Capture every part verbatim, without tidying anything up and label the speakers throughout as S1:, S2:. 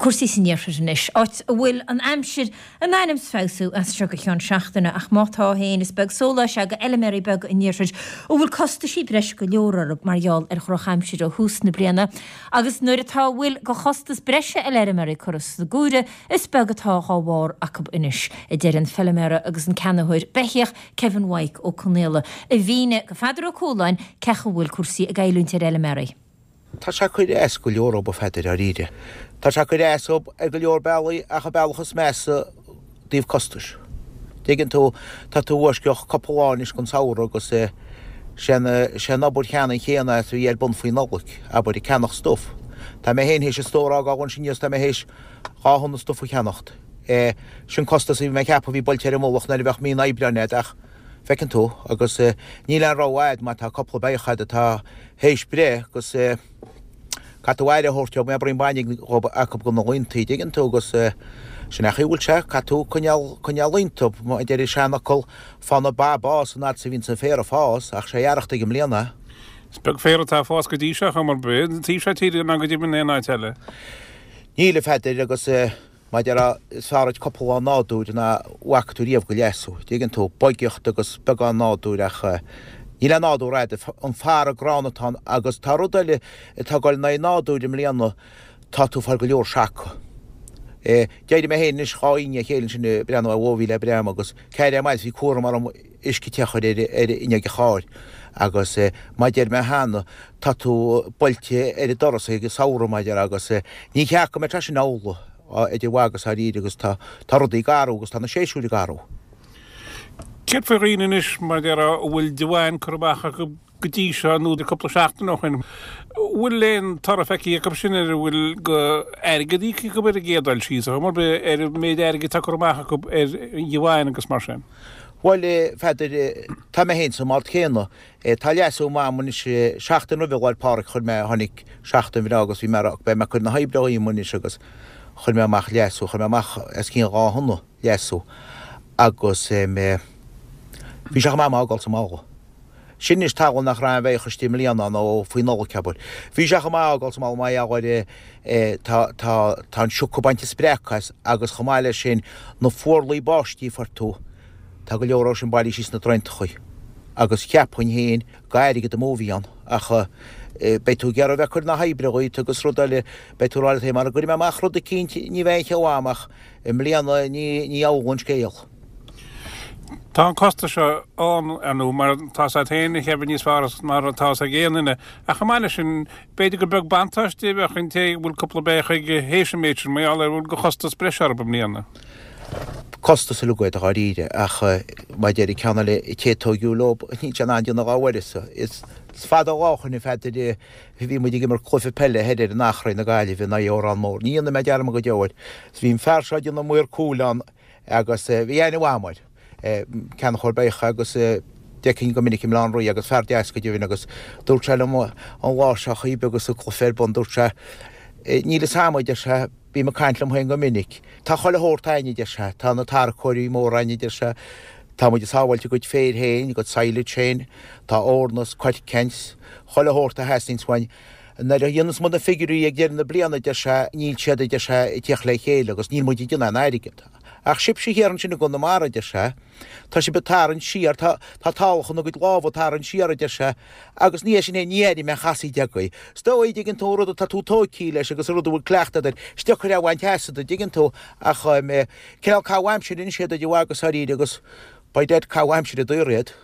S1: Cúrsaí san iarthar anois, áit a bhfuil an aimsir in ainm is feabhsú as seo go ceann seachtaine, ach má tá féin is beag sóláis é do fheilméaraí beaga an iarthair a bhfuil costaisí breise go leor orthu mar gheall ar dhrochaimsir ó thús na bliana. Agus nuair atá a bhfuil de chostas breise ar fheirmeoirí curtha san gcomhaireamh, is beag atá dhá bharr acu anois, a deir an feilméara agus an ceannaitheoir beithíoch Kevin Mhaidhc Ó Conaola, a mhínigh do Pheadar Ó Cualáin cén chaoi a bhfuil cúrsaí ag éiliúint ar fheilméaraí.
S2: Tá sé ag cur as go leor dóibh a Pheadair, dáiríre. Tá sé ag cur as dóibh ar go leor bealaí ach an bealach is measa dtaobh costais. Tuigeann tú, tá tú i bhfoisceacht cúpla lá anois den samhradh agus sé an obair cheannann chéanna is a bhí ar bun faoi Nollaig, abair, ag ceannach stuif. Tá mé féin théis an stór a fhágáil ansin is tá mé théis dhá thonna stuif a cheannacht. Sin costas a bhí mé ag ceapadh a bhí buailte ar an mullach nuair a bheadh mí an Aibreáin agat ach feiceann tú agus níl aon rogha agat má tá cúpla beithíoch agat atá théis breith agus caithfidh tú aire a thabhairt dóibh, mé braon bainne acu do na laontaí, dtuigeann tú, agus sin é an chaoi a bhfuil sé, caithfidh tú coinneáil, coinneáil iontu, mar a deir an seanfhocal, fá na ba ag bás an fhad is a bhíonns an féar ag fás, ach sé earrach i mbliana.
S3: Is beag féar atá ag fás go dtí seo, chuma ar bith, an taobh seo tíre ná go deimhin aon áit eile.
S2: Níl, a Pheadair, agus Mar a déarfá, is fearr duit cúpla lá nádúir ná a bhfaca tú riamh go leasú. Dtuigeann tú, boigeacht agus beagán nádúir ach níl aon nádúr a'd, an fara gránna atá ann agus tá rud eile atá ag dul in aghaidh nádúir i mbliana, tá tú ag fáil go leor seaca. D'éirigh mé féin anois dhá oíche i ndiaidh a chéile ansin ag breathnú ar bhó a bhí le breith agam agus ceathair ar maidin bhí cúram orm uisce te a chur ar ar fhuinneog an chairr agus mar a deir mé cheana tá tú buailte ar an doras ag an samhradh mar a déarfá agus ní cheart go mbeadh sé sin amhlaidh. Idir mhaith agus dháiríre agus tá tá rudaí ag athrú agus tá na séasúir ag athrú.
S3: Céard faoi dhaoine anois, mar a déarfá, a bhfuil diamhain curtha amach acu go dtí seo nó cúpla seachtain ó shin? Bhfuil aon toradh feicthe acu sin ar a bhfuil go airgead íoctha acu ar an gcéad dul síos, ar chuma ar bith ar an méid airgid atá curtha amach acu ar dhiamhain agus mar sin?
S2: Bhuel, a Pheadair, tá mé féin sa mbád céanna. Tá leasú amach agam anois, seachtain roimhe Lá 'le Pádraig chuir mé, tháinig seachtain bhreá agus bhí mé ag rá beidh mé ag cur na hoibre dhíom anois agus chuir mé amach leasú, chuir mé amach os cionn dhá thonna leasú agus bhí sé chomh maith agam é a fhágáil sa mála. Sin anois talamh nach raibh aon bheithíoch istigh i mbliana nó faoi Nollaig, abair. Bhí sé chomh maith é a fhágáil sa mála mar gheall ar tá, tá, tá an sioc ag baint an spreacadh as agus chomh maith leis sin na fuarlaigh báistí a fuair tú, Tá go leor dhó sin bailithe síos sna draentachaí agus cheapfainn féin gur airgead amú a bhí ann ach beidh tú ag iarraidh a bheith ag cur na hoibre dhuit agus rud eile beidh tú ag rá leat féin mara gcuirfidh mé amach rud eicínt ní bheidh aon cheo a'm ach i mbliana ní ní amhlaidh an scéal.
S3: Tá an costas seo ann, ar ndóigh, mar tá 's agat féin a Kevin níos fearr ná atá 's ag aon duine ach chomh maith leis sin b'fhéidir gur beag buntáiste a bheadh ag an té a bhfuil cúpla beithíoch aige théis an méid sin mar gheall ar a bhfuil de chostas breise orthu i mbliana.
S2: Costas uilig é dháiríre, ach mar a deir an ceann eile, an té a tóigeadh leo, níl sé in ann déanamh dá uireasa. Is fada an lá ó shin, a Pheadair, a bhí muid ag imirt cluiche peile thoir ar an Eachréidh na Gaillimhe in aghaidh Órán Mór. Ní dhéanfaidh mé dearmad go deo air. Bhí an fear seo ag déanamh maor cúil ann agus bhí aithne mhaith agam air. Ceannaitheoir beithíoch agus d'fheicfinn go minic i mBaile Átha an Rí agus fear deas go deimhin agus dúirt sé liom an lá seo choíche agus an cluiche ar bun, dúirt sé, Níl fhios a'm, a deir sé, Bím ag caint liom féin go minic. Tá chuile shórt a'inne, a deir sé. Tá na tarracóirí móra a'inne, a deir sé. Tá muid ag sábháilt a gcuid féir féin, a gcuid silage féin. Tá eorna 's coirce 's chuile shórt a theastaíonns uainn. Nuair a dhéanas muid na figiúirí ag deireadh na bliana, a deir sé, níl siad, a deir sé, ag tíocht le chéile agus níl muid ag déanamh aon airgead. Ach sibhse thiar ansin i gConamara, a deir sé, tá sibh ag tarraingt siar, tá, tá tadhlach ina gcuid lámha ag tarraingt siar, a deir sé, Agus ina dhiaidh sin féin, ní airím aon chasaoid agaibh. Is dóigh, dtuigeann tú, an rud atá tú tóigthí leis agus an rud a bhfuil cleachtadh air, is deacair é a bhaint asat, an dtuigeann tú, ach cineál caitheamh aimsire anois iad idir mhaith agus dháiríre agus by dad caitheamh aimsire daor iad.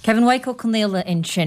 S1: Kevin Mhaidhc Ó Conaola ansin.